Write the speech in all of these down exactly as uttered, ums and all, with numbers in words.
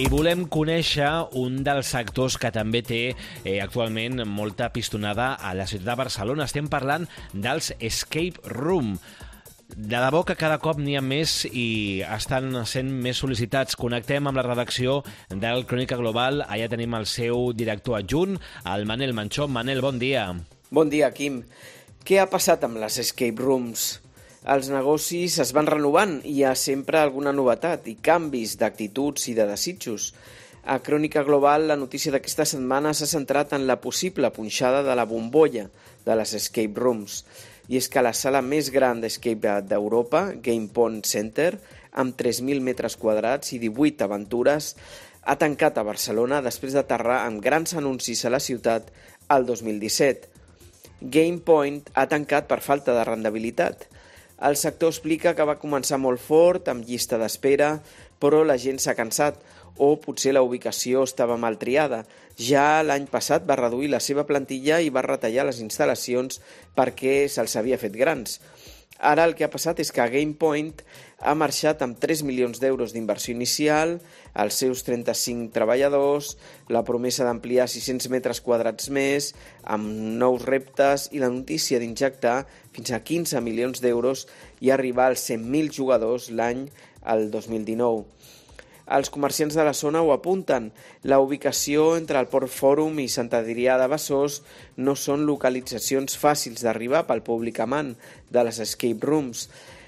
I volem conèixer un dels sectors que també té eh, actualment molta pistonada a la ciutat de Barcelona. Estem parlant dels escape room. De debò que cada cop n'hi ha més i estan sent més sol·licitats. Connectem amb la redacció del Crònica Global. Allà tenim el seu director adjunt, el Manel Manchón. Manel, bon dia. Bon dia, Quim. Què ha passat amb les escape rooms? Els negocis es van renovant i hi ha sempre alguna novetat i canvis d'actituds i de desitjos. A Crònica Global, la notícia d'aquesta setmana s'ha centrat en la possible punxada de la bombolla de les escape rooms. I és que la sala més gran d'escape d'Europa, Game Point Center, amb tres mil metres quadrats i divuit aventures, ha tancat a Barcelona després d'aterrar amb grans anuncis a la ciutat el dos mil disset. Game Point ha tancat per falta de rendibilitat. El sector explica que va començar molt fort, amb llista d'espera, però la gent s'ha cansat, o potser la ubicació estava mal triada. Ja l'any passat va reduir la seva plantilla i va retallar les instal·lacions perquè se'ls havia fet grans. Ara el que ha passat és que Game Point ha marxat amb tres milions d'euros d'inversió inicial, els seus trenta-cinc treballadors, la promesa d'ampliar sis-cents metres quadrats més, amb nous reptes i la notícia d'injectar fins a quinze milions d'euros i arribar als cent mil jugadors l'any al dos mil dinou. Els comerciants de la zona ho apunten. La ubicació entre el Port Fòrum i Sant Adrià de Besòs no són localitzacions fàcils d'arribar pel públic amant de les escape rooms.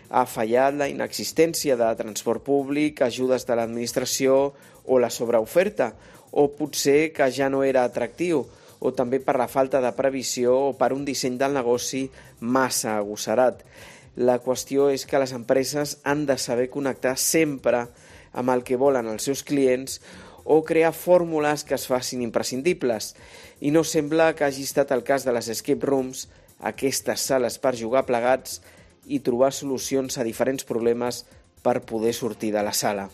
Ha fallat la inexistència de transport públic, ajudes de l'administració o la sobreoferta, o potser que ja no era atractiu, o també per la falta de previsió o per un disseny del negoci massa agosserat. La qüestió és que les empreses han de saber connectar sempre amb el que volen els seus clients o crear fórmules que es facin imprescindibles. I no sembla que hagi estat el cas de les escape rooms, aquestes sales per jugar plegats i trobar solucions a diferents problemes per poder sortir de la sala.